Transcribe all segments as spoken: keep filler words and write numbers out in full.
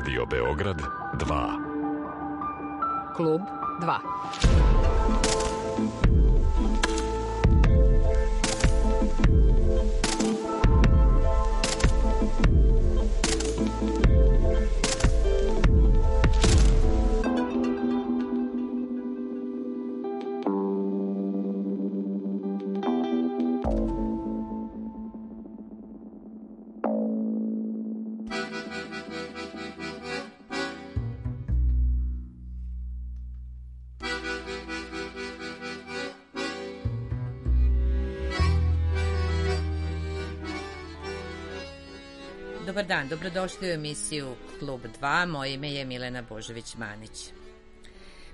Radio Beograd dva. Klub dva. Dobar dan, dobrodošli u emisiju Klub dva, moje ime je Milena Božović-Manić.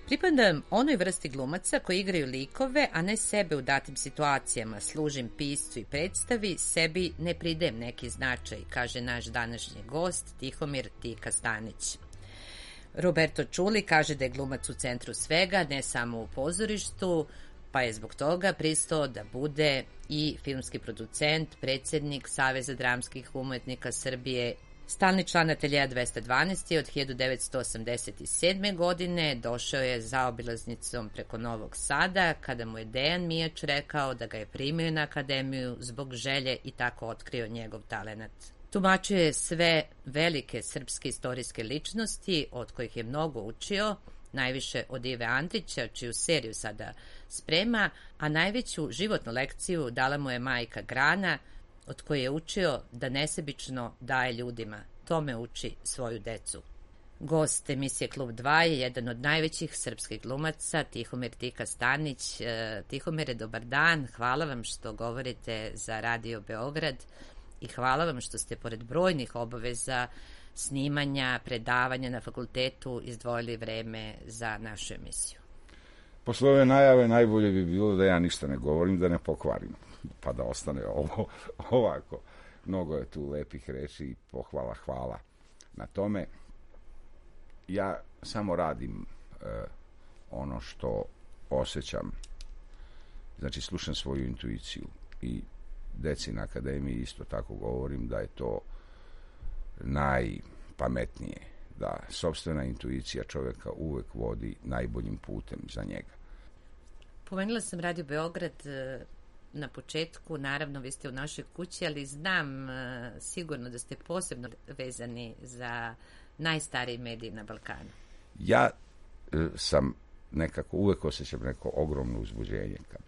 Pripadam onoj vrsti glumaca koji igraju likove, a ne sebe u datim situacijama, služim piscu i predstavi, sebi ne pridajem neki značaj, kaže naš današnji gost Tihomir Tika Stanić. Roberto Čuli kaže da je glumac u centru svega, ne samo u pozorištu, pa je zbog toga pristao da bude i filmski producent, predsjednik Saveza dramskih umetnika Srbije, stalni član ateljeja dvesta dvanaest od hiljadu devetsto osamdeset sedme. godine, došao je zaobilaznicom preko Novog Sada, kada mu je Dejan Mijač rekao da ga je primio na akademiju zbog želje i tako otkrio njegov talenat. Tumačio je sve velike srpske istorijske ličnosti, od kojih je mnogo učio, najviše od Ive Andrića, čiju seriju sada sprema, a najveću životnu lekciju dala mu je majka Grana, od koje je učio da nesebično daje ljudima. Tome uči svoju decu. Gost emisije Klub dva je jedan od najvećih srpskih glumaca, Tihomir Tika Stanić. Tihomire, dobar dan, hvala vam što govorite za Radio Beograd i hvala vam što ste pored brojnih obaveza, snimanja, predavanja na fakultetu izdvojili vreme za našu emisiju. Posle ove najave najbolje bi bilo da ja ništa ne govorim, da ne pokvarim, pa da ostane ovo ovako. Mnogo je tu lepih reči i pohvala, hvala na tome. Ja samo radim e, ono što osjećam, znači slušam svoju intuiciju i deci na akademiji isto tako govorim da je to najpametnije, da sopstvena intuicija čovjeka uvek vodi najboljim putem za njega. Pomenula sam Radio Beograd na početku, naravno vi ste u našoj kući, ali znam sigurno da ste posebno vezani za najstariji medij na Balkanu. Ja sam nekako, uvek osjećam neko ogromno uzbuđenje kad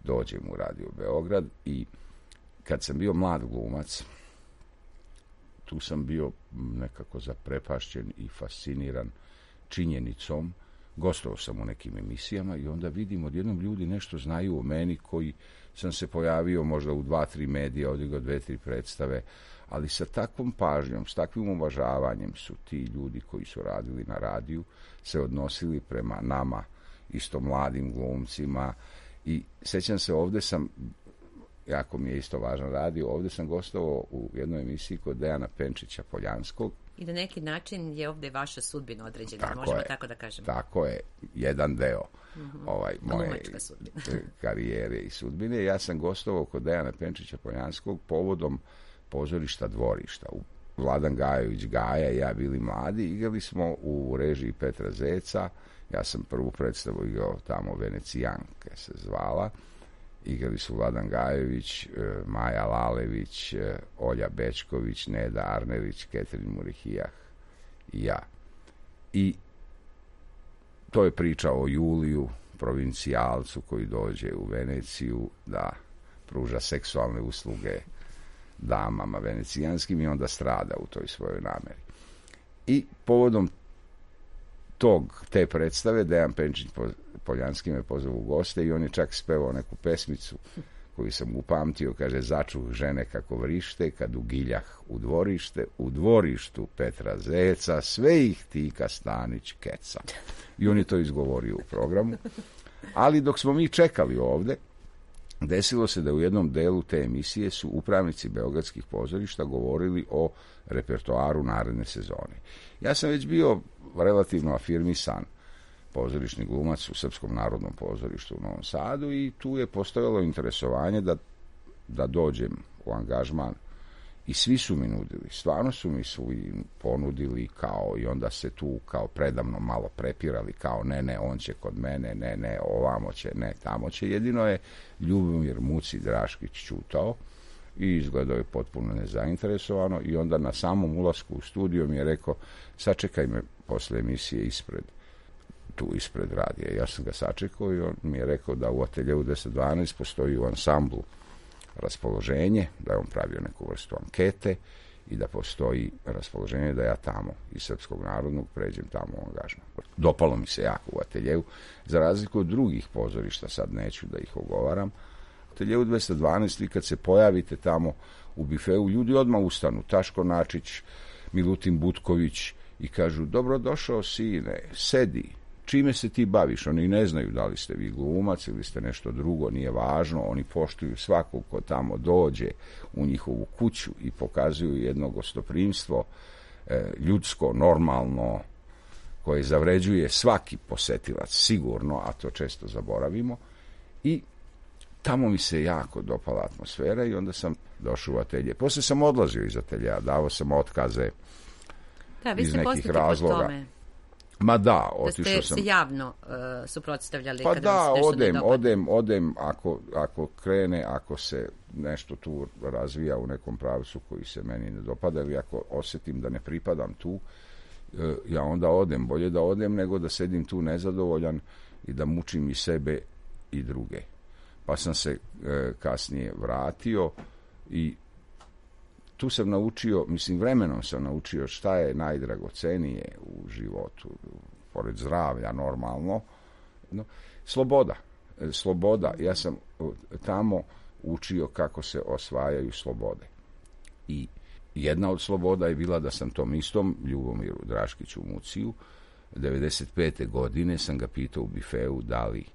dođem u Radio Beograd i kad sam bio mlad glumac, tu sam bio nekako zaprepašćen i fasciniran činjenicom. Gostovao sam u nekim emisijama i onda vidim odjednom ljudi nešto znaju o meni, koji sam se pojavio možda u dva, tri medija, odigrao dve, tri predstave, ali sa takvom pažnjom, s takvim uvažavanjem su ti ljudi koji su radili na radiju se odnosili prema nama, isto mladim glumcima. I sećam se, ovde sam, jako mi je isto važan radio, ovdje sam gostovao u jednoj emisiji kod Dejana Penčića Poljanskog. I na neki način je ovdje vaša sudbina određena, tako možemo je, tako da kažemo. Tako je, jedan deo mm-hmm. ovaj, moje karijere i sudbine. Ja sam gostovao kod Dejana Penčića Poljanskog povodom pozorišta Dvorišta. Vladan Gajović Gaja i ja bili mladi, igrali smo u režiji Petra Zeca. Ja sam prvu predstavu igrao tamo, Venecijanke se zvala. Igrali su Vladan Gajević, Maja Lalević, Olja Bečković, Neda Arnerić, Ketrin Murihijah i ja. I to je priča o Juliju, provincijalcu koji dođe u Veneciju da pruža seksualne usluge damama venecijanskim i onda strada u toj svojoj nameri. I povodom tog, te predstave Dejan Penčić Poljanski me pozvao u goste i on je čak spevao neku pesmicu koju sam upamtio, kaže: začuh žene kako vrište, kad ugiljah u dvorište, u dvorištu Petra Zeca, sve ih Tika Stanić keca. I on je to izgovorio u programu. Ali dok smo mi čekali ovde, desilo se da u jednom delu te emisije su upravnici beogradskih pozorišta govorili o repertoaru naredne sezone. Ja sam već bio relativno afirmisan pozorišni glumac u Srpskom narodnom pozorištu u Novom Sadu i tu je postojalo interesovanje da, da dođem u angažman I svi su mi nudili, stvarno su mi su i ponudili kao, i onda se tu kao predavno malo prepirali, kao ne, ne, on će kod mene, ne, ne, ovamo će, ne, tamo će. Jedino je Ljubomir Muci Draškić čutao i izgledao je potpuno nezainteresovano i onda na samom ulasku u studio mi je rekao, sačekaj me posle emisije ispred, tu ispred radija. Ja sam ga sačekao i on mi je rekao da u Ateljeu deset dvanaest postoji u ansamblu raspoloženje, da je on pravio neku vrstu ankete i da postoji raspoloženje da ja tamo iz Srpskog narodnog pređem tamo u angažman. Dopalo mi se jako u Ateljeu, za razliku od drugih pozorišta, sad neću da ih ogovaram. U Ateljeu dvesta dvanaest, vi kad se pojavite tamo u bifeu, ljudi odmah ustanu, Taško Načić, Milutin Butković, i kažu, dobrodošao sine, sedi, čime se ti baviš? Oni ne znaju da li ste vi glumac ili ste nešto drugo, nije važno, oni poštuju svakog ko tamo dođe u njihovu kuću i pokazuju jedno gostoprimstvo e, ljudsko, normalno, koje zavređuje svaki posetilac, sigurno, a to često zaboravimo. I tamo mi se jako dopala atmosfera i onda sam došao u atelje. Poslije sam odlazio iz atelja, davao sam otkaze da, vi iz ste nekih razloga. Tome. Ma da, otišao sam. Da ste se javno uh, suprotstavljali pa kada da, vam se nešto odem, ne dopada. odem, odem, ako, ako krene, ako se nešto tu razvija u nekom pravcu koji se meni ne dopada ili ako osjetim da ne pripadam tu, uh, ja onda odem. Bolje da odem nego da sedim tu nezadovoljan i da mučim i sebe i druge. Pa sam se uh, kasnije vratio i tu sam naučio, mislim vremenom sam naučio šta je najdragocenije u životu, pored zdravlja normalno, no, sloboda. Sloboda, ja sam tamo učio kako se osvajaju slobode. I jedna od sloboda je bila da sam tom istom Ljubomiru Draškiću Muciju devedeset pete godine sam ga pitao u bifeu da li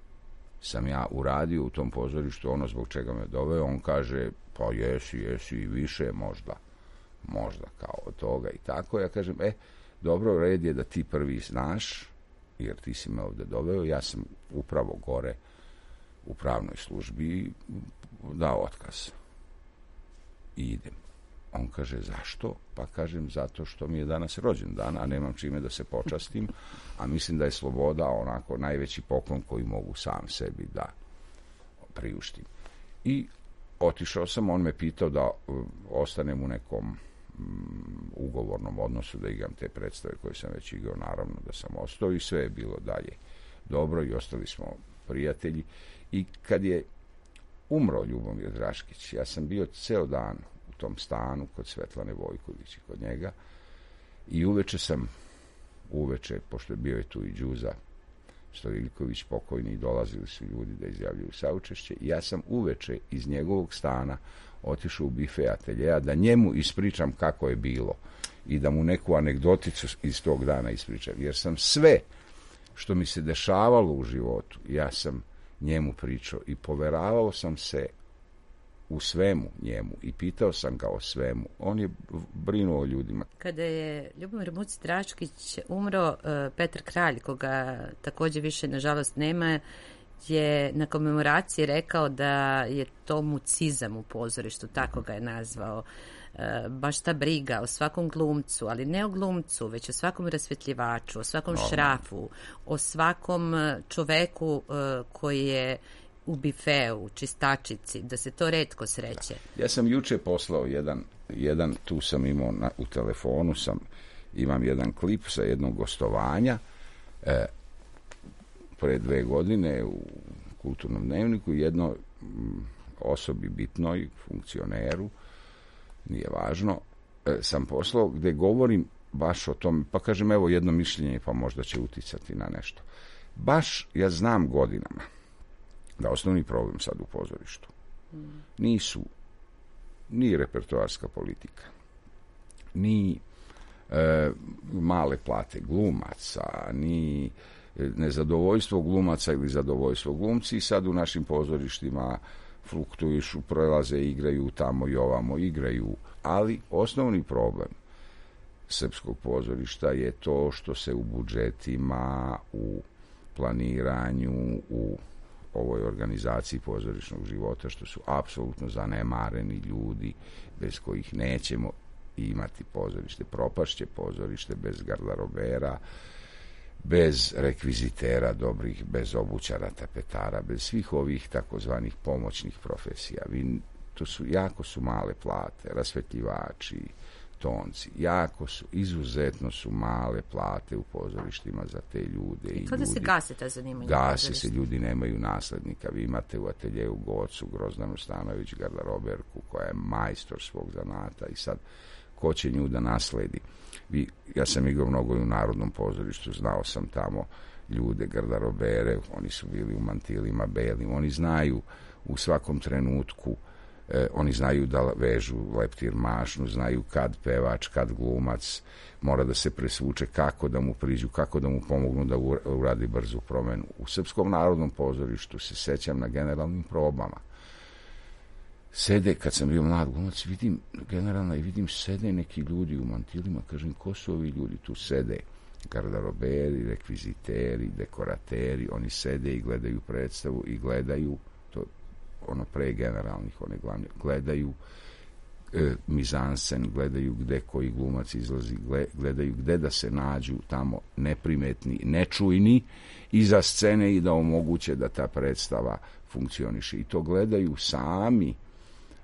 sam ja uradio u tom pozorištu ono zbog čega me doveo. On kaže, pa jesi, jesi i više možda, možda kao od toga i tako. Ja kažem, e, dobro, red je da ti prvi znaš, jer ti si me ovde doveo, ja sam upravo gore u pravnoj službi dao otkaz. I idem. On kaže, zašto? Pa kažem, zato što mi je danas rođendan, a nemam čime da se počastim, a mislim da je sloboda onako najveći poklon koji mogu sam sebi da priuštim. I otišao sam, on me pitao da uh, ostanem u nekom um, ugovornom odnosu, da igram te predstave koje sam već igrao, naravno da sam ostao i sve je bilo dalje dobro i ostali smo prijatelji. I kad je umro Ljubomir Draškić, ja sam bio ceo dan u tom stanu kod Svetlane Vojković i kod njega i uveče sam, uveče, pošto je bio je tu i Đuza Stojiljković pokojni i dolazili su ljudi da izjavljuju saučešće, i ja sam uveče iz njegovog stana otišao u bife ateljeja da njemu ispričam kako je bilo i da mu neku anegdoticu iz tog dana ispričam, jer sam sve što mi se dešavalo u životu, ja sam njemu pričao i poveravao sam se u svemu njemu i pitao sam ga o svemu. On je brinuo o ljudima. Kada je Ljubomir Muci Draškić umro, Petar Kralj, koga također više nažalost nema, je na komemoraciji rekao da je to mucizam u pozorištu, tako ga je nazvao. Baš ta briga o svakom glumcu, ali ne o glumcu, već o svakom rasvjetljivaču, o svakom no. šrafu, o svakom čoveku koji je u bifeu, čistačici, da se to retko sreće. Ja sam juče poslao jedan, jedan tu sam imao na, u telefonu, sam, imam jedan klip sa jednog gostovanja e, pre dve godine u Kulturnom dnevniku, jedno m, osobi bitnoj, funkcioneru, nije važno, e, sam poslao gde govorim baš o tom, pa kažem evo jedno mišljenje pa možda će uticati na nešto. Baš ja znam godinama da osnovni problem sad u pozorištu nisu ni repertoarska politika, ni e, male plate glumaca, ni nezadovoljstvo glumaca ili zadovoljstvo glumci. Sad u našim pozorištima fluktuišu, prelaze, igraju tamo i ovamo, igraju. Ali osnovni problem srpskog pozorišta je to što se u budžetima, u planiranju, u ovoj organizaciji pozorišnog života, što su apsolutno zanemareni ljudi bez kojih nećemo imati pozorište. Propašće pozorište bez garderobera, bez rekvizitera dobrih, bez obućara, tapetara, bez svih ovih takozvanih pomoćnih profesija. Vi, to su, jako su male plate, rasvetljivači, tonci, jako su, izuzetno su male plate u pozorištima za te ljude. I kada se gase ta zanimanja? Gase se, ljudi nemaju naslednika. Vi imate u ateljeju Gocu Grozdanu Stanović, garderoberku, koja je majstor svog zanata i sad ko će nju da nasledi? Vi, ja sam igrao mnogo i u Narodnom pozorištu, znao sam tamo ljude, garderobere, oni su bili u mantilima belim, oni znaju u svakom trenutku, eh, oni znaju da vežu leptir mašnu, znaju kad pevač, kad glumac mora da se presvuče, kako da mu priđu, kako da mu pomognu da uradi brzu promenu. U Srpskom narodnom pozorištu se sećam na generalnim probama. Sede, kad sam bio mlad glumac, vidim generalna i vidim sede neki ljudi u mantilima, kažem, ko su ovi ljudi tu sede? Garderoberi, rekviziteri, dekorateri, oni sede i gledaju predstavu i gledaju, to ono pre generalnih, one glavne, gledaju e, mizansen, gledaju gde koji glumac izlazi, gledaju gde da se nađu tamo neprimetni, nečujni iza scene i da omoguće da ta predstava funkcioniše. I to gledaju sami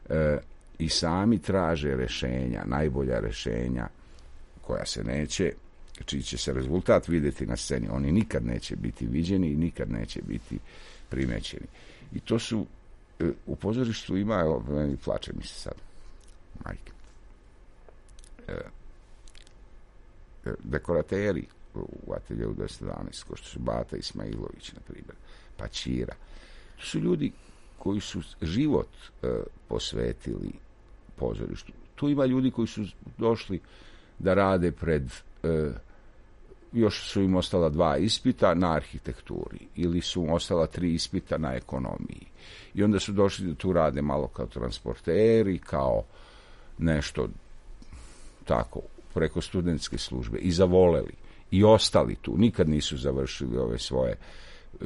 e, i sami traže rešenja, najbolja rešenja koja se neće, čiji će se rezultat vidjeti na sceni. Oni nikad neće biti viđeni i nikad neće biti primećeni. I to su, u pozorištu ima, evo, meni plače mi se sad, majke, dekorateri u ateljevu dvesta jedanaest, ko što su Bata Ismailović, na primjer, pa Ćira. To su ljudi koji su život e, posvetili pozorištu. Tu ima ljudi koji su došli da rade pred, e, još su im ostala dva ispita na arhitekturi ili su im ostala tri ispita na ekonomiji. I onda su došli da tu rade malo kao transporteri, kao nešto tako, preko studentske službe i zavoleli i ostali tu. Nikad nisu završili ove svoje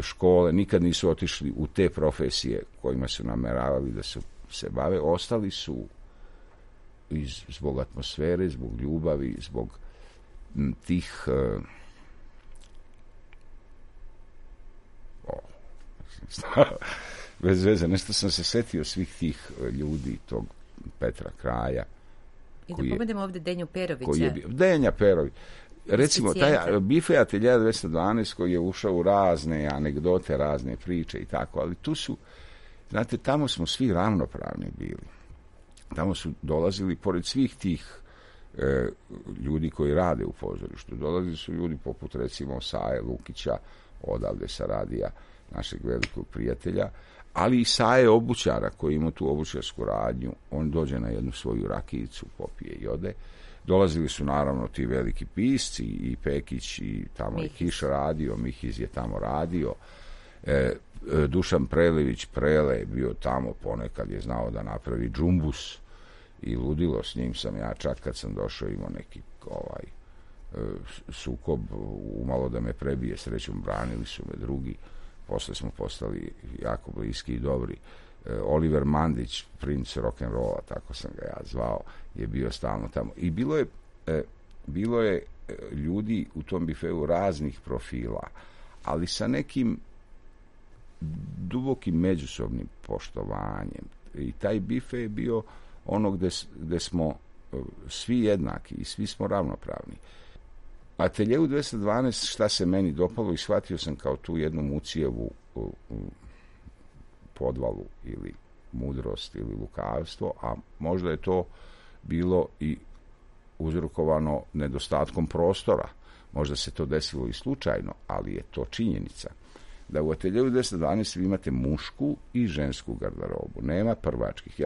škole, nikad nisu otišli u te profesije kojima su nameravali da su, se bave. Ostali su iz, zbog atmosfere, zbog ljubavi, zbog m, tih uh, o, bez veze, nešto sam se setio svih tih ljudi, tog Petra Kraja. I da povedemo ovdje Denju Perovića. Koji je bio, Denja Perović. Recimo, taj Bife atelje dvesta jedanaest koji je ušao u razne anegdote, razne priče i tako, ali tu su, znate, tamo smo svi ravnopravni bili. Tamo su dolazili, pored svih tih e, ljudi koji rade u pozorištu, dolazili su ljudi poput, recimo, Saje Lukića, odavde sa radija, našeg velikog prijatelja, ali i Saje obućara koji ima tu obućarsku radnju. On dođe na jednu svoju rakijicu, popije i ode. Dolazili su naravno ti veliki pisci, i Pekić, i tamo Mihiz. I Kiš radio, Mihiz je tamo radio, e, Dušan Prelević Prele je bio tamo, ponekad je znao da napravi džumbus i ludilo, s njim sam ja čak kad sam došao imao neki ovaj e, sukob, umalo da me prebije, srećom branili su me drugi, posle smo postali jako bliski i dobri. Oliver Mandić, princ rock'n'rolla, tako sam ga ja zvao, je bio stalno tamo. I bilo je, e, bilo je ljudi u tom bifeu raznih profila, ali sa nekim dubokim međusobnim poštovanjem. I taj bife je bio ono gde, gde smo svi jednaki i svi smo ravnopravni. Ateljevu dvesta jedanaest, šta se meni dopalo, i shvatio sam kao tu jednu Mucijevu u, u, podvalu ili mudrost ili lukavstvo, a možda je to bilo i uzrokovano nedostatkom prostora. Možda se to desilo i slučajno, ali je to činjenica. Da u ateljevu dvesta jedanaest vi imate mušku i žensku garderobu. Nema prvačkih.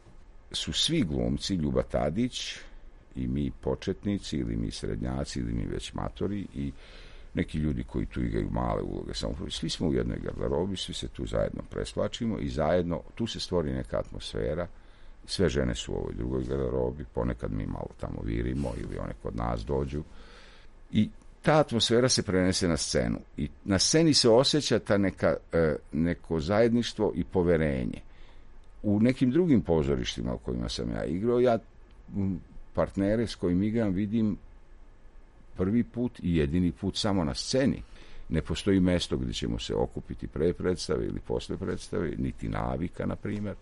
Su svi glumci, Ljuba Tadić i mi početnici ili mi srednjaci ili mi već matori i neki ljudi koji tu igraju male uloge. Samo, svi smo u jednoj garderobi, svi se tu zajedno presvlačimo i zajedno, tu se stvori neka atmosfera. Sve žene su u ovoj drugoj garderobi, ponekad mi malo tamo virimo ili one kod nas dođu. I ta atmosfera se prenese na scenu i na sceni se osjeća ta neka, neko zajedništvo i poverenje. U nekim drugim pozorištima u kojima sam ja igrao, ja partnere s kojim igram vidim prvi put i jedini put samo na sceni. Ne postoji mesto gdje ćemo se okupiti pre predstave ili posle predstave, niti navika, na primjer.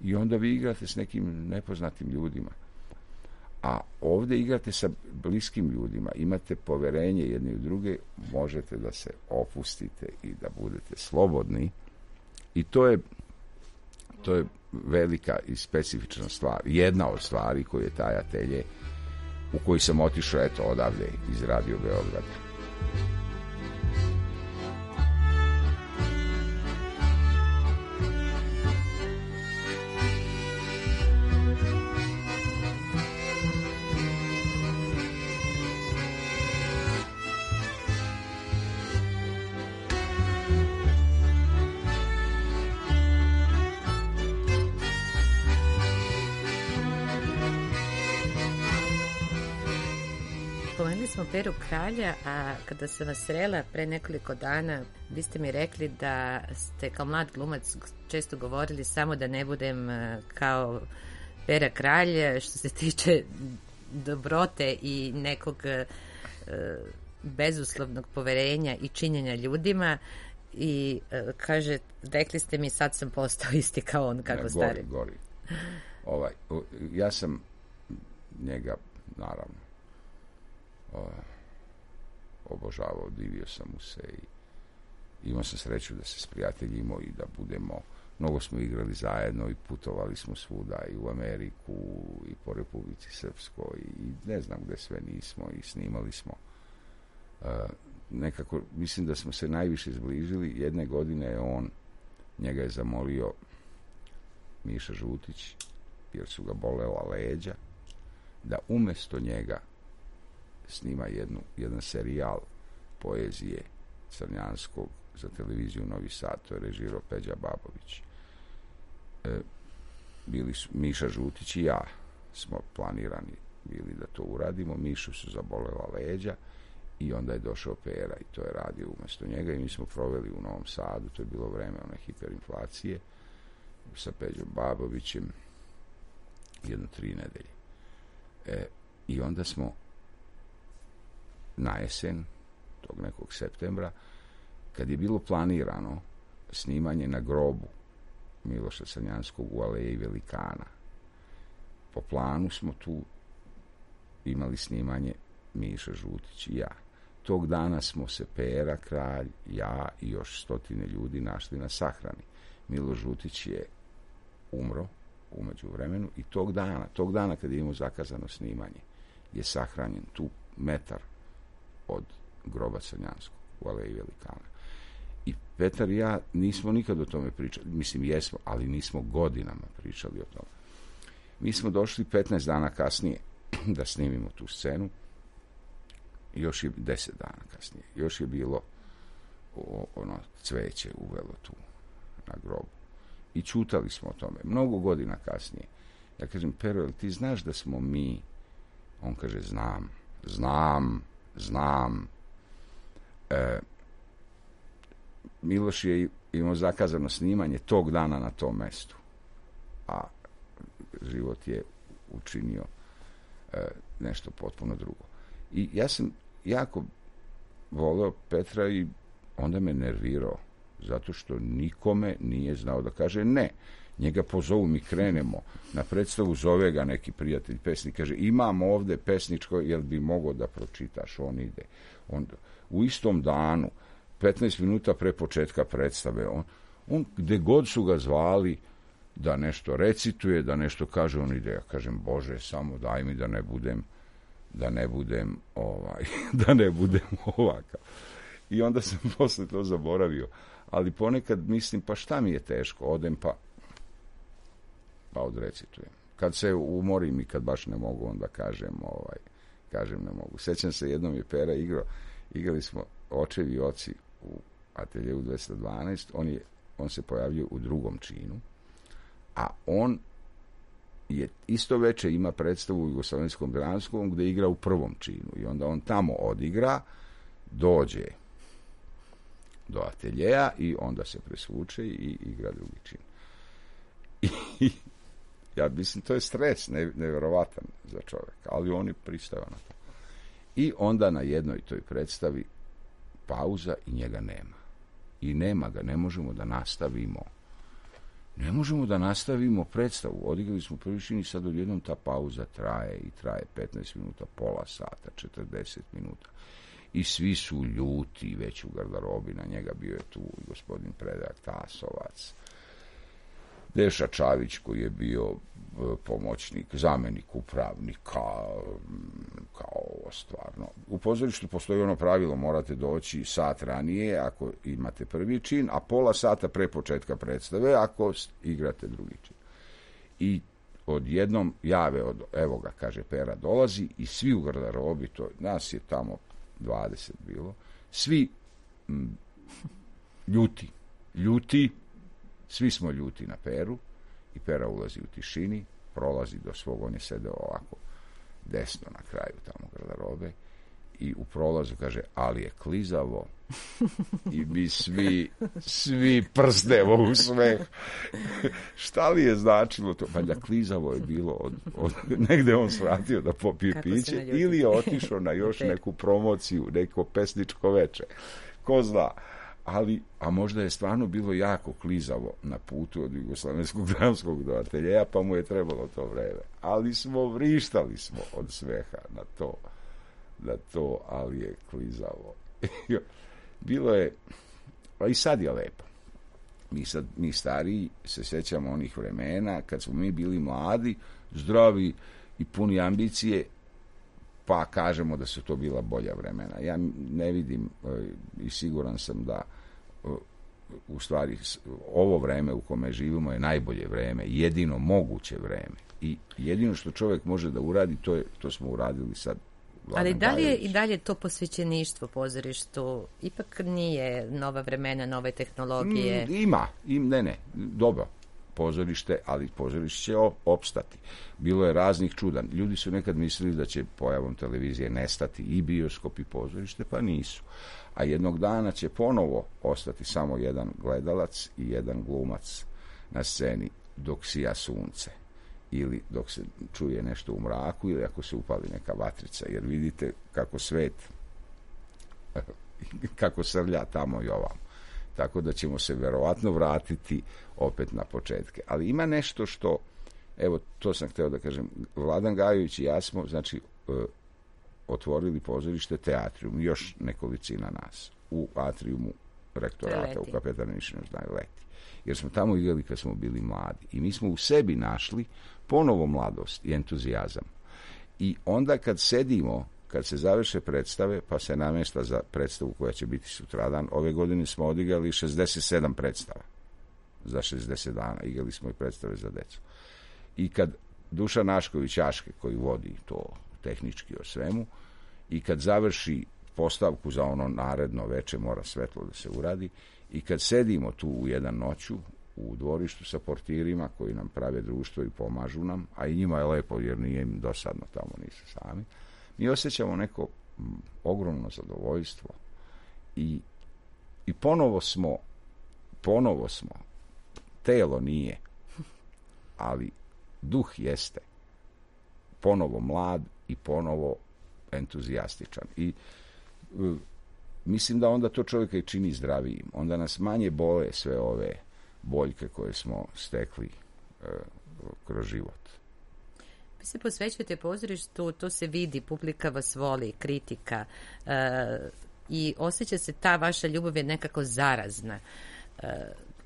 I onda vi igrate s nekim nepoznatim ljudima. A ovdje igrate sa bliskim ljudima, imate poverenje jedni u druge, možete da se opustite i da budete slobodni. I to je, to je velika i specifična stvar. Jedna od stvari koju je taj atelje, u koji sam otišao, eto, odavde iz Radio Beograda. Spomenuli smo Peru Kralja, a kada sam vas srela pre nekoliko dana, vi ste mi rekli da ste kao mlad glumac često govorili samo da ne budem kao Pera Kralj što se tiče dobrote i nekog e, bezuslovnog poverenja i činjenja ljudima i e, kaže, rekli ste mi sad sam postao isti kao on, kako ne, stari. Gori, gori. Ovaj, ja sam njega, naravno, obožavao, divio sam mu se i imao sam sreću da se sprijateljimo i da budemo, mnogo smo igrali zajedno i putovali smo svuda i u Ameriku i po Republici Srpskoj i ne znam gde sve nismo i snimali smo. Uh, nekako, mislim da smo se najviše zbližili. Jedne godine je on, njega je zamolio Miša Žutić, jer su ga bolela leđa, da umjesto njega snima jednu, jedan serijal poezije Crnjanskog za televiziju Novi Sad, to je režirao Peđa Babović. E, bili su Miša Žutić i ja smo planirani bili da to uradimo. Mišu su zabolela leđa i onda je došao Pera i to je radio umjesto njega i mi smo proveli u Novom Sadu, to je bilo vreme one hiperinflacije, sa Peđom Babovićem jedno tri nedelje. E, I onda smo na jesen tog nekog septembra, kad je bilo planirano snimanje na grobu Miloša Crnjanskog u Aleji Velikana, po planu smo tu imali snimanje Miša Žutić i ja. Tog dana smo se Pera Kralj, ja i još stotine ljudi našli na sahrani. Milo Žutić je umro umeđu vremenu i tog dana, tog dana kad je imao zakazano snimanje, je sahranjen tu metar od groba Crnjanskog u Aleji Velikana. I Petar i ja nismo nikad o tome pričali, mislim jesmo, ali nismo godinama pričali o tome. Mi smo došli petnaest dana kasnije da snimimo tu scenu, još je deset dana kasnije, još je bilo o, ono cveće uvelo tu na grobu. I čutali smo o tome. Mnogo godina kasnije. Ja kažem, Pero, jel ti znaš da smo mi? On kaže, znam, znam, znam. E, Miloš je imao zakazano snimanje tog dana na tom mestu. A život je učinio e, nešto potpuno drugo. I ja sam jako voleo Petra i onda me nervirao zato što nikome nije znao da kaže ne. Njega pozovu, mi krenemo na predstavu, zove ga neki prijatelj pesnik, kaže imam ovde pesničko, jel bi mogao da pročitaš? On ide. On, u istom danu, petnaest minuta pre početka predstave, on, on gde god su ga zvali da nešto recituje, da nešto kaže, on ide. Ja kažem, Bože, samo daj mi da ne budem da ne budem ovaj, da ne budem ovakav. I onda sam posle to zaboravio. Ali ponekad mislim, pa šta mi je teško, odem pa pa odrecitujem. Kad se umorim i kad baš ne mogu, onda kažem, ovaj, kažem ne mogu. Sećam se, jednom je Pera igrao, igrali smo Očevi oci u ateljeu dvesta dvanaest, on, je, on se pojavio u drugom činu, a on je isto veče ima predstavu u Jugoslovenskom dramskom gde igra u prvom činu i onda on tamo odigra dođe do ateljeja i onda se presvuče i igra drugi čin. I ja mislim, to je stres ne, nevjerovatan za čovjeka, ali oni pristaju na to. I onda na jednoj toj predstavi pauza i njega nema. I nema ga, ne možemo da nastavimo. Ne možemo da nastavimo predstavu. Odigrali smo prvi čin i sad odjednom ta pauza traje i traje petnaest minuta, pola sata, četrdeset minuta. I svi su ljuti već u garderobi, na njega bio je tu i gospodin Predrag Tasovac, Deša Čavić koji je bio pomoćnik, zamjenik upravnika, kao ovo stvarno. U pozorištu postoji ono pravilo, morate doći sat ranije ako imate prvi čin, a pola sata pre početka predstave ako igrate drugi čin. I odjednom jave od, evo ga, kaže Pera, dolazi i svi u garderobi, to, nas je tamo dvadeset bilo, svi m, ljuti, ljuti, svi smo ljuti na Peru i Pera ulazi u tišini, prolazi do svog, on je sedeo ovako desno na kraju tamo garderobe i u prolazu kaže, ali je klizavo i mi svi, svi prstemo u smeh. Šta li je značilo to? Valjda klizavo je bilo od, od negde on svratio da popije piće ili je otišao na još neku promociju, neko pesničko veče. Ko zna. Ali, a možda je stvarno bilo jako klizavo na putu od Jugoslavenskog dramskog do ateljeja, pa mu je trebalo to vreme. Ali smo vrištali smo od smeha na to, na to, ali je klizavo. Bilo je, pa i sad je lepo. Mi, sad, mi stariji se sjećamo onih vremena kad smo mi bili mladi, zdravi i puni ambicije, pa kažemo da su to bila bolja vremena. Ja ne vidim i siguran sam da u stvari ovo vreme u kome živimo je najbolje vreme, jedino moguće vreme. I jedino što čovjek može da uradi, to, je, to smo uradili sad. Ali da li je i dalje to posvećeništvo pozorištu? Ipak nije nova vremena, nove tehnologije. Mm, ima, im, ne, ne, dobro. Pozorište, ali pozorište će opstati. Bilo je raznih čuda. Ljudi su nekad mislili da će pojavom televizije nestati i bioskop i pozorište, pa nisu. A jednog dana će ponovo ostati samo jedan gledalac i jedan glumac na sceni dok sija sunce. Ili dok se čuje nešto u mraku ili ako se upali neka vatrica. Jer vidite kako svet kako srlja tamo i ovamo. Tako da ćemo se verovatno vratiti opet na početke. Ali ima nešto što, evo, to sam hteo da kažem, Vladan Gajović i ja smo, znači, e, otvorili pozorište Teatrium, još nekolicina nas, u atriumu rektorata, u Kapetaniničnoj znaju leti. Jer smo tamo igrali kad smo bili mladi. I mi smo u sebi našli ponovo mladost i entuzijazam. I onda kad sedimo, kad se završe predstave, pa se namješta za predstavu koja će biti sutradan. Ove godine smo odigrali šezdeset sedam predstava za šezdeset dana. Igrali smo i predstave za decu. I kad Dušan Našković Aške, koji vodi to tehnički o svemu, i kad završi postavku za ono naredno veče, mora svetlo da se uradi, i kad sedimo tu u jedan noću u dvorištu sa portirima koji nam prave društvo i pomažu nam, a i njima je lepo jer nije im dosadno, tamo nisu sami, mi osjećamo neko m, ogromno zadovoljstvo i, i ponovo smo ponovo smo telo nije, ali duh jeste ponovo mlad i ponovo entuzijastičan i uh, mislim da onda to čovjeka i čini zdravijim, onda nas manje bole sve ove boljke koje smo stekli uh, kroz život. Vi se posvećujete pozorištu, to se vidi, publika vas voli, kritika uh, i osjeća se ta vaša ljubav je nekako zarazna. Uh,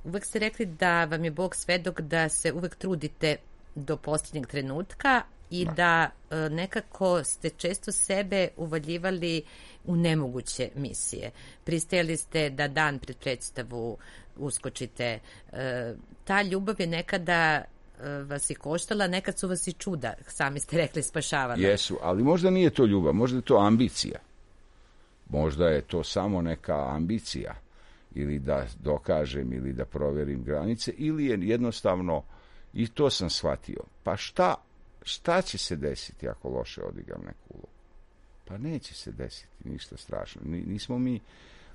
uvek ste rekli da vam je Bog svedok da se uvek trudite do posljednjeg trenutka i da, da uh, nekako ste često sebe uvaljivali u nemoguće misije. Pristajali ste da dan pred predstavu uskočite. Uh, ta ljubav je nekada vas i koštala, nekad su vas i čuda, sami ste rekli, spašavala. Jesu, ali možda nije to ljubav, možda je to ambicija. Možda je to samo neka ambicija ili da dokažem ili da proverim granice ili je jednostavno, i to sam shvatio, pa šta, šta će se desiti ako loše odigram neku ulogu? Pa neće se desiti ništa strašno. Nismo mi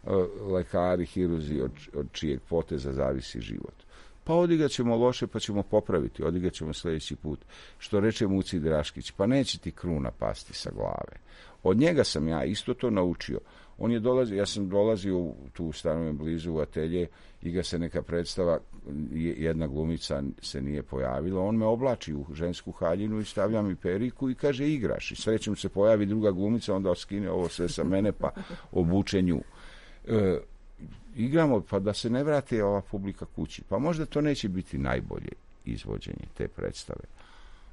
uh, lekari, hiruzi od, od čijeg poteza zavisi život. Pa odigat ćemo loše, pa ćemo popraviti. Odigat ćemo sljedeći put. Što reče Muci Draškić, pa neće ti kruna pasti sa glave. Od njega sam ja isto to naučio. On je dolazio, ja sam dolazio u tu stanovim blizu u atelje i ga se neka predstava, jedna glumica se nije pojavila. On me oblači u žensku haljinu i stavlja mi periku i kaže igraš. I srećem se pojavi druga glumica, onda skine ovo sve sa mene pa obuče nju. E, igramo pa da se ne vrati ova publika kući. Pa možda to neće biti najbolje izvođenje te predstave.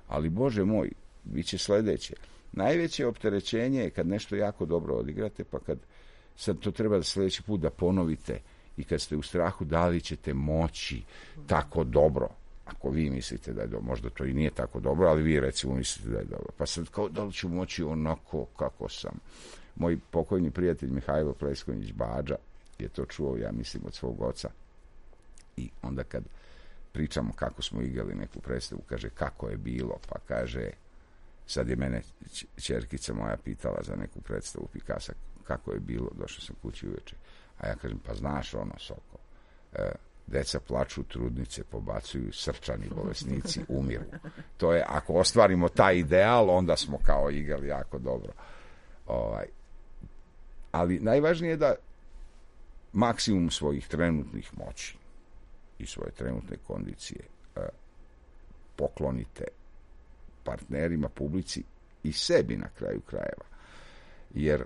Ali Bože moj, bit će sljedeće. Najveće opterećenje je kad nešto jako dobro odigrate, pa kad sad to treba da sljedeći put da ponovite i kad ste u strahu da li ćete moći tako dobro. Ako vi mislite da je dobro, možda to i nije tako dobro, ali vi recimo mislite da je dobro. Pa sad kao da li ću moći onako kako sam. Moj pokojni prijatelj Mihajlo Pleskonjić Bađa je to čuo, ja mislim, od svog oca. I onda kad pričamo kako smo igrali neku predstavu, kaže kako je bilo, pa kaže, sad je mene ćerkica moja pitala za neku predstavu Pikasa, kako je bilo, došao sam kući uveče. A ja kažem, pa znaš ono, Soko, e, deca plaču, trudnice pobacuju, srčani bolesnici umiru. To je, ako ostvarimo taj ideal, onda smo kao igrali jako dobro. Ovaj, ali najvažnije je da maksimum svojih trenutnih moći i svoje trenutne kondicije e, poklonite partnerima, publici i sebi na kraju krajeva. Jer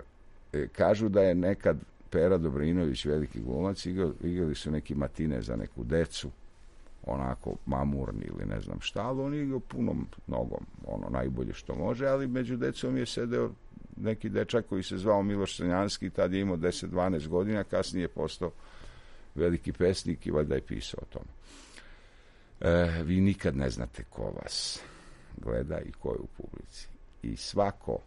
e, kažu da je nekad Pera Dobrinović, veliki glumac, igrali, igrali su neki matine za neku decu, onako mamurni ili ne znam šta, ali on je igrao punom nogom, ono najbolje što može, ali među decom je sedeo neki dečak koji se zvao Miloš Crnjanski, tad je imao deset dvanaest godina, kasnije je postao veliki pesnik i valjda je pisao o tome. E, vi nikad ne znate ko vas gleda i ko je u publici. I svako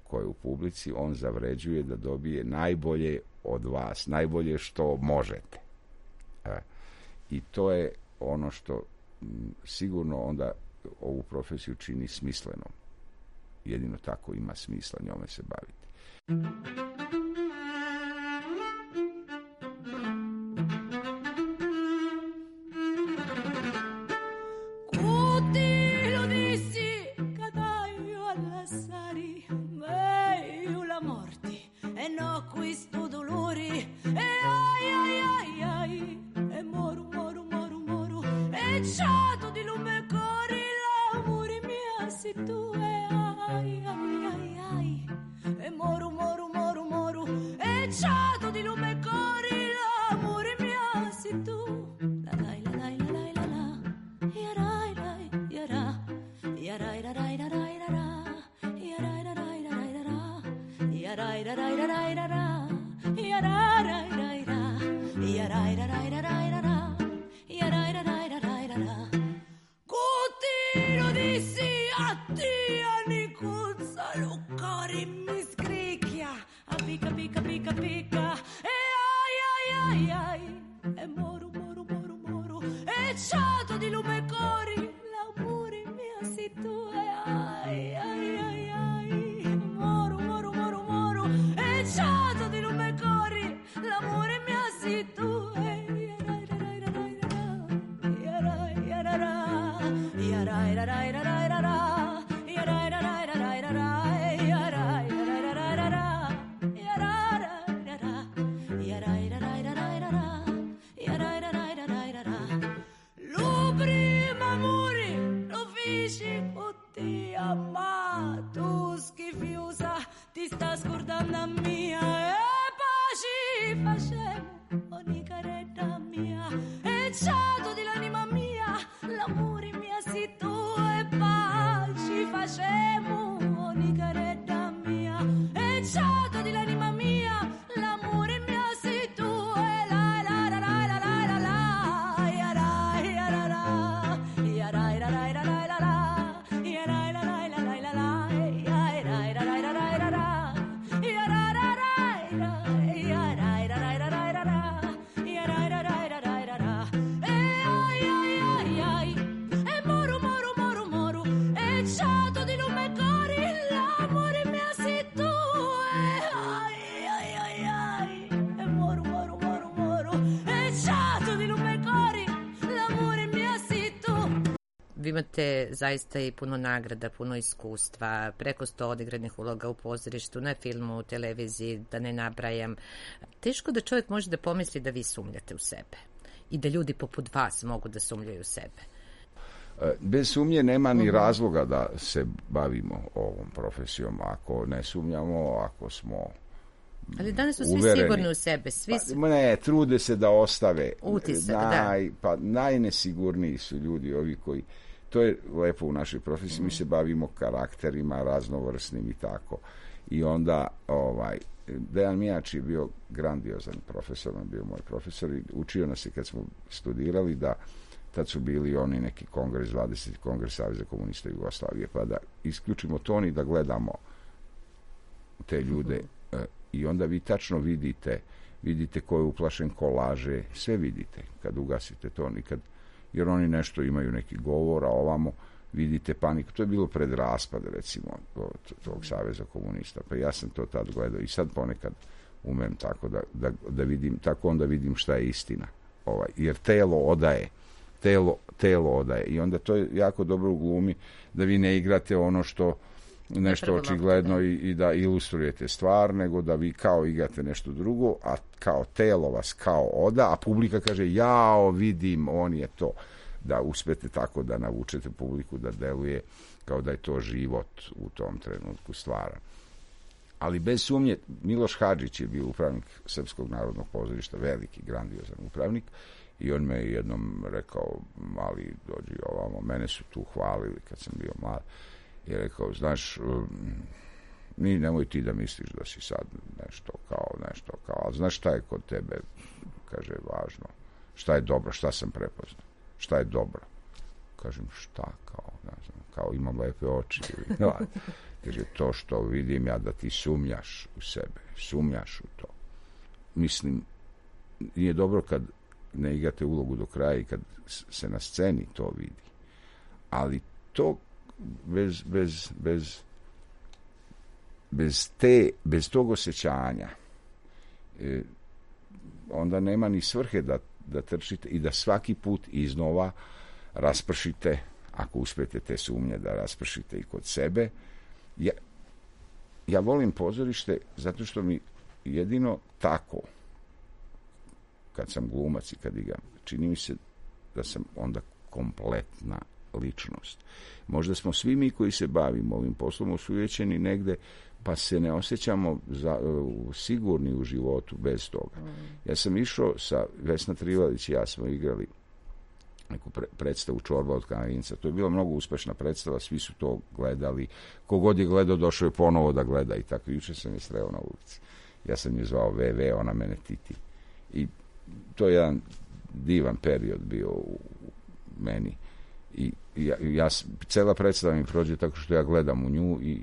ko je u publici, on zavređuje da dobije najbolje od vas, najbolje što možete. E, I to je ono što m, sigurno onda ovu profesiju čini smislenom. Jedino tako ima smisla njome se baviti. Ti vi imate zaista i puno nagrada, puno iskustva, preko sto odigranih uloga u pozorištu, na filmu, u televiziji, da ne nabrajam. Teško da čovjek može da pomisli da vi sumnjate u sebe i da ljudi poput vas mogu da sumnjaju u sebe. Bez sumnje nema ni razloga da se bavimo ovom profesijom ako ne sumnjamo, ako smo ali danas su svi uvereni. Sigurni u sebe. Svi su... Pa, ne, trude se da ostave. Utisak, Naj, da. Pa najnesigurniji su ljudi ovi koji, to je lepo u našoj profesiji, mm. mi se bavimo karakterima raznovrsnim i tako. I onda, ovaj, Dejan Mijač je bio grandiozan profesor, on bio moj profesor i učio nas je kad smo studirali da tad su bili oni neki kongres, dvadeseti kongres Saveza komunista Jugoslavije, pa da isključimo ton i da gledamo te ljude uh, i onda vi tačno vidite, vidite ko je uplašen, ko laže, sve vidite kad ugasite ton i kad, jer oni nešto imaju neki govor, a ovamo vidite paniku. To je bilo pred raspad, recimo, tog Saveza komunista, pa ja sam to tad gledao i sad ponekad umem tako da, da, da vidim, tako onda vidim šta je istina. Ovaj, jer telo odaje, telo, telo odaje i onda to je jako dobro u glumi da vi ne igrate ono što nešto očigledno i, i da ilustrujete stvar, nego da vi kao igrate nešto drugo, a kao telo vas kao oda, a publika kaže jao, vidim, on je to. Da uspete tako da navučete publiku da deluje kao da je to život u tom trenutku stvara. Ali bez sumnje, Miloš Hadžić je bio upravnik Srpskog narodnog pozorišta, veliki, grandiozan upravnik, i on me jednom rekao, mali, dođi ovamo, mene su tu hvalili kad sam bio mlad, i rekao, znaš, ni nemoj ti da misliš da si sad nešto kao, nešto kao, ali znaš šta je kod tebe, kaže, važno, šta je dobro, šta sam prepoznao, šta je dobro. Kažem, šta, kao, ne znam, kao imam lepe oči, ili, kaže, to što vidim ja da ti sumnjaš u sebe, sumnjaš u to. Mislim, nije dobro kad ne igrate ulogu do kraja i kad se na sceni to vidi. Ali to bez, bez, bez, bez, te, bez tog osjećanja e, onda nema ni svrhe da, da trčite i da svaki put iznova raspršite, ako uspete te sumnje da raspršite i kod sebe. Ja, ja volim pozorište zato što mi jedino tako, kad sam glumac i kad igram, čini mi se da sam onda kompletna ličnost. Možda smo svi mi koji se bavimo ovim poslom osujećeni negde, pa se ne osjećamo za, uh, sigurni u životu bez toga. Mm. Ja sam išao sa Vesna Trivalić i ja smo igrali neku pre, predstavu Čorba od Kanarinca. To je bila mnogo uspešna predstava, svi su to gledali. Kogod je gledao, došao je ponovo da gleda i tako. Juče sam je sreo na ulici. Ja sam je zvao ve ve, ona mene Titi. I to je jedan divan period bio u meni. I ja, ja, cela predstava mi prođe tako što ja gledam u nju i,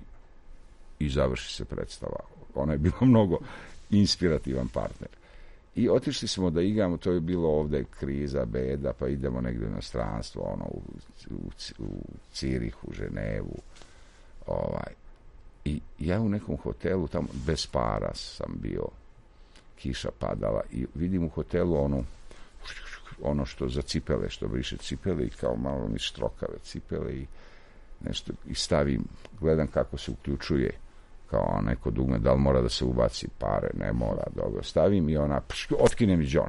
i završi se predstava. Ona je bila mnogo inspirativan partner. I otišli smo da igramo, to je bilo ovde kriza, beda, pa idemo negde u inostranstvo, ono, u, u, u Cirihu, u Ženevu. Ovaj. I ja u nekom hotelu, tamo bez para sam bio, kiša padala i vidim u hotelu onu, ono što za cipele, što briše cipele i kao malo mi štrokave cipele i nešto, i stavim, gledam kako se uključuje kao neko dugme, da li mora da se ubaci pare, ne mora, dobro, stavim i ona, pš, otkine mi John.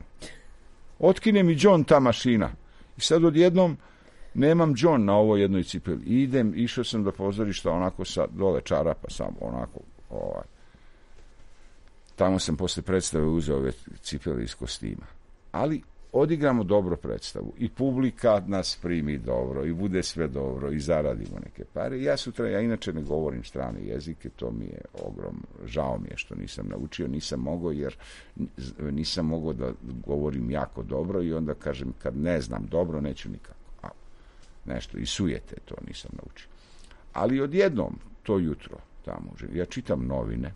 Otkine mi John ta mašina. I sad odjednom nemam John na ovoj jednoj cipeli. I idem, išao sam do pozorišta onako sa dole čarapa sam, onako, ovaj. Tamo sam posle predstave uzeo ove cipele iz kostima. Ali odigramo dobro predstavu i publika nas primi dobro i bude sve dobro i zaradimo neke pare. Ja sutra, ja inače ne govorim strane jezike, to mi je ogrom, žao mi je što nisam naučio, nisam mogao jer nisam mogao da govorim jako dobro i onda kažem kad ne znam dobro neću nikako. A, nešto, i sujete to nisam naučio. Ali odjednom, to jutro tamo, ja čitam novine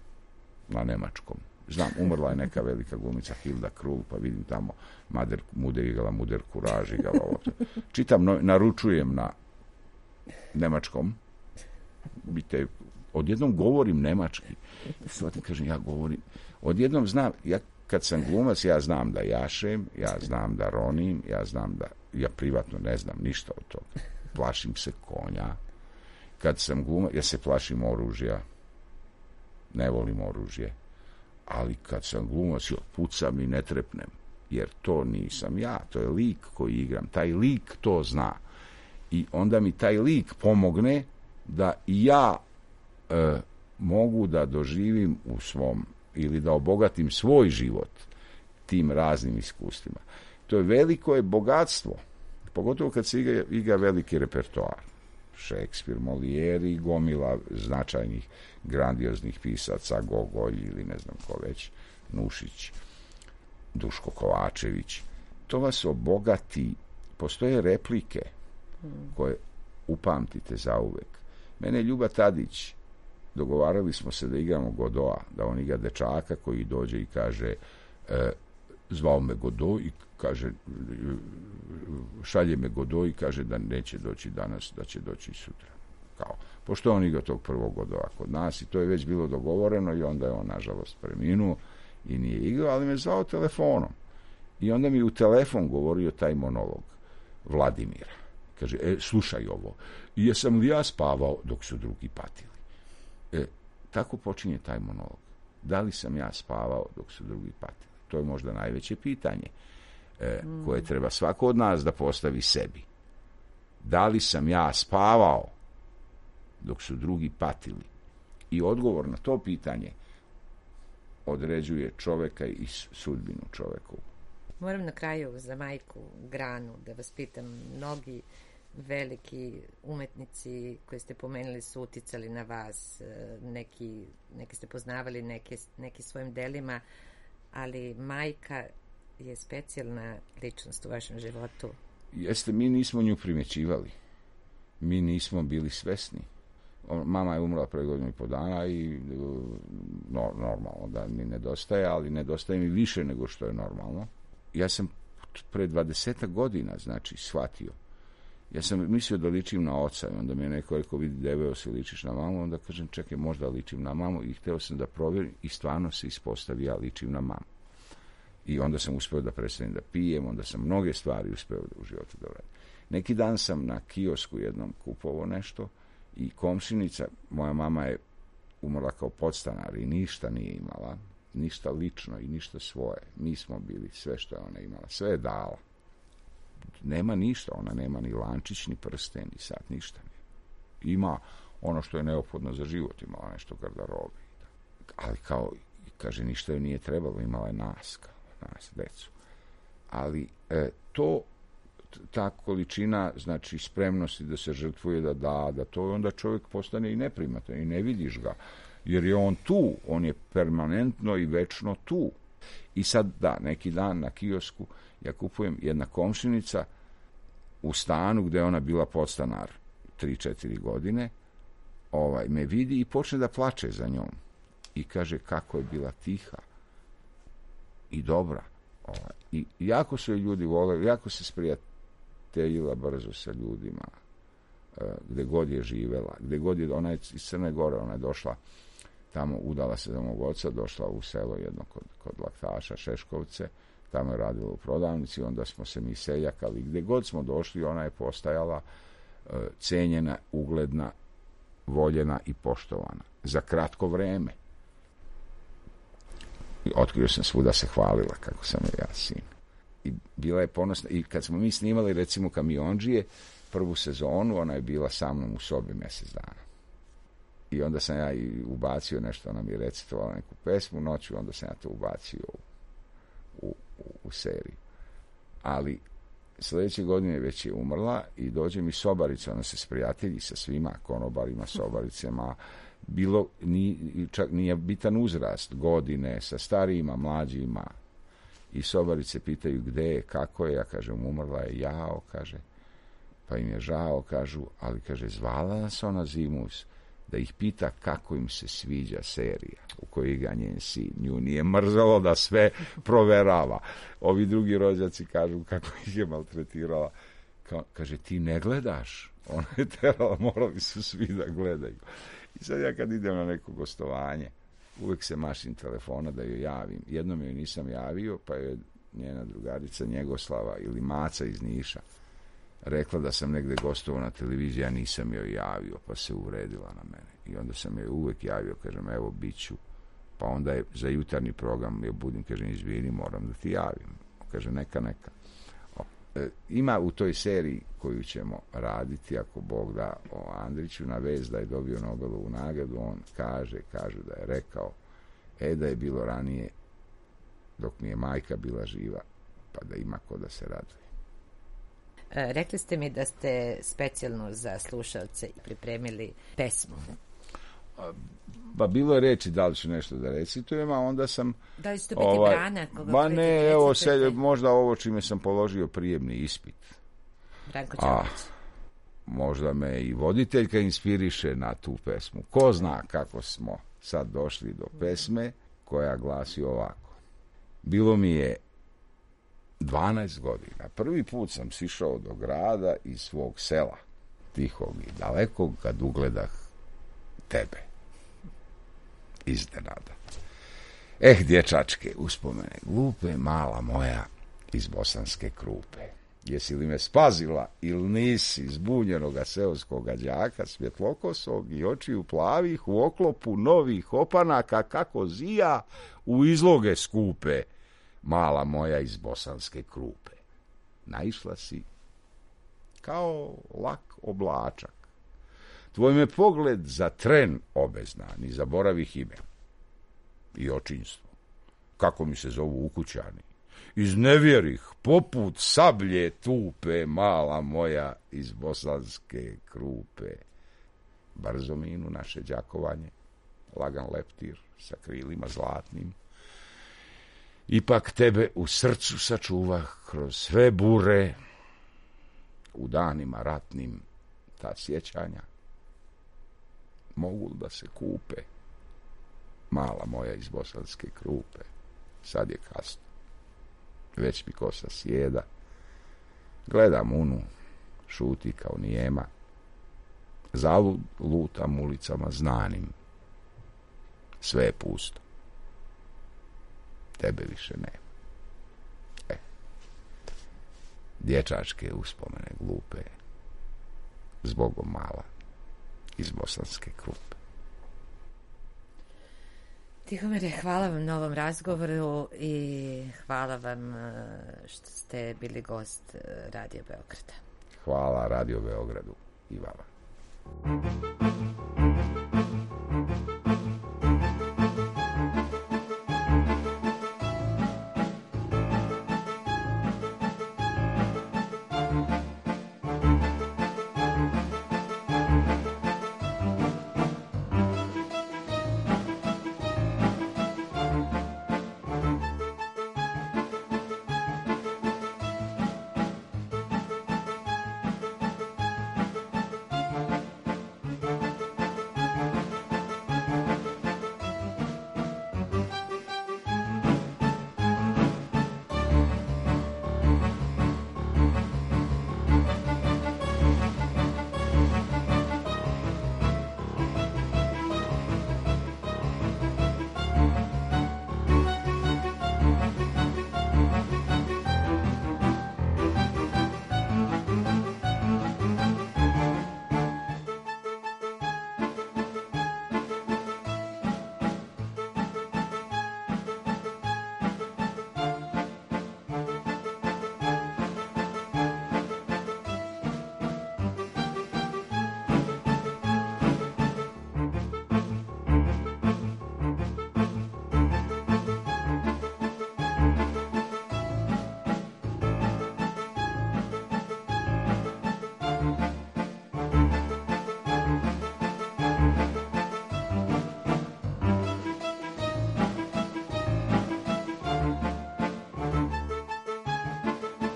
na nemačkom. Znam, umrla je neka velika glumica Hilda Krul, pa vidim tamo Mader, Muder igala, Muder Kuraž igala. Čitam, no, naručujem na nemačkom. Bite, odjednom govorim nemački. Svatim, kažem, ja govorim. Odjednom znam, ja kad sam glumac, ja znam da jašem, ja znam da ronim, ja znam da, ja privatno ne znam ništa od toga. plašim se konja. Kad sam glumac, ja se plašim oružja. Ne volim oružje. Ali kad sam glumac, ja pucam i ne trepnem. Jer to nisam ja, to je lik koji igram. Taj lik to zna. I onda mi taj lik pomogne da i ja e, mogu da doživim u svom, ili da obogatim svoj život tim raznim iskustvima. To je veliko je bogatstvo. Pogotovo kad se igra, igra veliki repertoar. Šekspir, Molière i gomila značajnih, grandioznih pisaca, Gogolj ili ne znam ko već, Nušić, Duško Kovačević. To vas obogati. Postoje replike koje upamtite zauvek. Mene je Ljuba Tadić, dogovarali smo se da igramo Godoa, da on igra dečaka koji dođe i kaže e, zvao me Godo i kaže šalje me Godo i kaže da neće doći danas, da će doći sutra. Kao, pošto on igra tog prvog Godoa kod nas i to je već bilo dogovoreno i onda je on nažalost preminuo i nije igrao, ali me zvao telefonom. I onda mi u telefon govorio taj monolog Vladimira. Kaže, e, slušaj ovo, jesam li ja spavao dok su drugi patili? E, tako počinje taj monolog. Da li sam ja spavao dok su drugi patili? To je možda najveće pitanje e, mm. koje treba svako od nas da postavi sebi. Da li sam ja spavao dok su drugi patili? I odgovor na to pitanje određuje čoveka i sudbinu čovekovu. Moram na kraju za majku Granu da vas pitam, mnogi veliki umetnici koje ste pomenuli su uticali na vas, neki, neki ste poznavali neke, neki svojim delima, ali majka je specijalna ličnost u vašem životu. Jeste, mi nismo nju primjećivali. Mi nismo bili svesni. Mama je umrla pre godinu i po dana i no, normalno da mi nedostaje, ali nedostaje mi više nego što je normalno. Ja sam pre dvadesetak godina, znači, shvatio. Ja sam mislio da ličim na oca i onda mi je neko rekao, vidi, deveo se ličiš na mamu, onda kažem, čekaj, možda ličim na mamu i hteo sam da provjerim i stvarno se ispostavi, ja ličim na mamu. I onda sam uspeo da prestanem da pijem, onda sam mnoge stvari uspeo da u životu da uradim. Neki dan sam na kiosku jednom kupovao nešto i komšinica, moja mama je umrla kao podstanar i ništa nije imala, ništa lično i ništa svoje. Mi smo bili sve što je ona imala, sve je dala. Nema ništa, ona nema ni lančić, ni prsten, ni sat, ništa. Ima ono što je neophodno za život, imala nešto garderobe. Ali kao, kaže, ništa joj nije trebalo, imala je nas, kao nas, decu. Ali e, to, ta količina, znači, spremnosti da se žrtvuje, da da, da to onda čovjek postane i neprimatan i ne vidiš ga. Jer je on tu, on je permanentno i večno tu. I sad, da, neki dan na kiosku ja kupujem jedna komšinica u stanu gde je ona bila podstanar tri četiri godine, ovaj, me vidi i počne da plače za njom. I kaže kako je bila tiha i dobra. Ovaj. I jako su je ljudi voleli, jako se sprijateljila brzo sa ljudima, gde god je živela, gde god je, ona je iz Crne Gore, ona je došla tamo, udala se za mog oca, došla u selo jedno kod, kod Laktaša, Šeškovce, tamo je radila u prodavnici, onda smo se mi seljakali, gde god smo došli, ona je postajala e, cenjena, ugledna, voljena i poštovana. Za kratko vreme. I otkrio sam svuda se hvalila kako sam je ja sin. I bila je ponosna, i kad smo mi snimali recimo Kamiondžije, prvu sezonu, ona je bila sa mnom u sobi mjesec dana. I onda sam ja i ubacio nešto, ona mi je recitovala neku pesmu noću, onda sam ja to ubacio u, u, u, u seriju. Ali sljedeće godine već je umrla i dođe mi sobarica, ona se sprijatelji sa svima, konobarima, sobaricama, bilo, ni, čak nije bitan uzrast, godine, sa starijima, mlađima. I sobarice pitaju gde je, kako je, ja kažem, umrla je, jao, kaže, pa im je žao, kažu, ali, kaže, zvala nas ona zimus, da ih pita kako im se sviđa serija u kojoj igra njen sin. Nju nije mrzalo da sve proverava. Ovi drugi rođaci kažu kako ih je maltretirala. Ka, kaže, ti ne gledaš? Ona je terala, morali su svi da gledaju. I sad ja kad idem na neko gostovanje, uvek se mašim telefona da joj javim. Jednom joj nisam javio, pa je njena drugarica Njegoslava ili Maca iz Niša rekla da sam negde gostovao na televiziji, ja nisam joj javio, pa se uvredila na mene. I onda sam joj uvek javio, kažem, evo, bit ću. Pa onda je za jutarnji program, ja budim, kažem, izvini, moram da ti javim. Kaže, neka, neka. O, e, ima u toj seriji koju ćemo raditi, ako Bog da, o Andriću, na vez da je dobio Nobelovu nagradu, on kaže, kaže da je rekao, e, da je bilo ranije, dok mi je majka bila živa, pa da ima ko da se raduje. E, rekli ste mi da ste specijalno za slušalce pripremili pesmu. Pa bilo je reči da li ću nešto da recitujem, a onda sam... Da li će to biti ovaj, Brana? Koga ba ne, evo, se, možda ovo čime sam položio prijemni ispit. Branko Ćopić. Možda me i voditeljka inspiriše na tu pesmu. Ko zna kako smo sad došli do pesme koja glasi ovako. Bilo mi je dvanaest godina. Prvi put sam sišao do grada iz svog sela, tihog i dalekog, kad ugledah tebe. Iznenada. Eh, dječačke, uspomene glupe, mala moja iz Bosanske Krupe. Jesi li me spazila ili nisi zbunjenoga seoskoga đaka, svjetlokosog i očiju plavih u oklopu novih opanaka kako zija u izloge skupe, mala moja iz Bosanske Krupe. Naišla si kao lak oblačak. Tvoj me pogled za tren obezna, ni zaboravih ime. I očinstvo. Kako mi se zovu ukućani. Iznevjerih, poput sablje tupe, mala moja iz Bosanske Krupe. Brzo minu naše đakovanje, lagan leptir sa krilima zlatnim. Ipak tebe u srcu sačuvah kroz sve bure, u danima ratnim ta sjećanja mogu da se kupe, mala moja iz Bosanske Krupe. Sad je kasno, već mi kosa sjeda, gledam unu, šuti kao nijema, zalud lutam ulicama znanim, sve je pusto, tebe više nema. E, dječačke uspomene glupe, zbogom mala iz Bosanske Krupe. Tihomire, hvala vam na ovom razgovoru i hvala vam što ste bili gost Radio Beograda. Hvala Radio Beogradu i vama.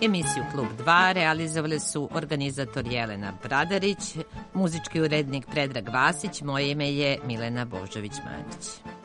Emisiju Klub dva realizovali su organizator Jelena Bradarić, muzički urednik Predrag Vasić, moje ime je Milena Božović-Mandić.